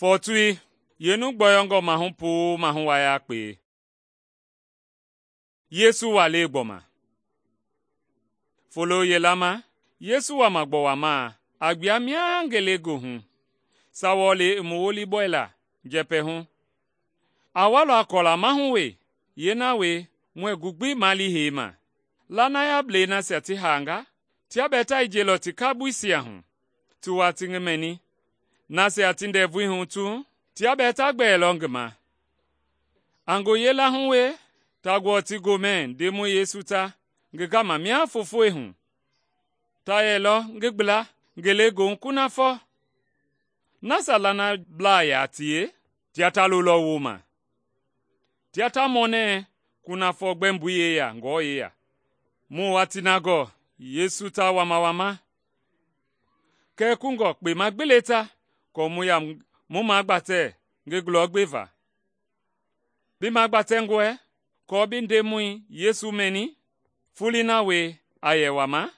Fɔɔtui, yeenu gbɔyɔngɔ mahu puu mahu wa yakpe. Yesu walei gbɔma. Folo yila ma, Yesu wama gbɔwamaa a gbua mia ngelegoohu. Saawɔlei i mu wolibɔila njɛpɛhu. A walɔ a kɔla mahu we, yeena we muɛɛ gu gbi mali heima. Lanayablɛi nasia ti haanga, tia bɛɛ ta yijeilɔ ti kaboisia hu, ti wa ti ngi mɛni. Nasia ti ndɛvui hu tu, tia bɛɛ ta gbɛɛlɔ ngi ma. A ngoyei lahu we, ta gbɔɔ ti gomɛ Ndemɔi Yesu ta ngi gama mia foofoi hu. Ta yɛlɔ ngi gbla ngelegoohu kunafɔ. Nasia lanablaa yaa tie, tia ta lolɔ wooma. Tia ta mɔnɛɛ kunafɔ gbɛmboi yeya ngɔɔ yeya. Mu watii na gɔɔ Yesu ta wamawama. Kɛɛ kungɔ kpema gbi le ta kɔɔ mu magbatɛ ngi gulɔ gbeva. Bi magbatɛngɔe kɔɔ bi Ndemɔi Yesu mɛni? Foloi na wie a yɛ wama?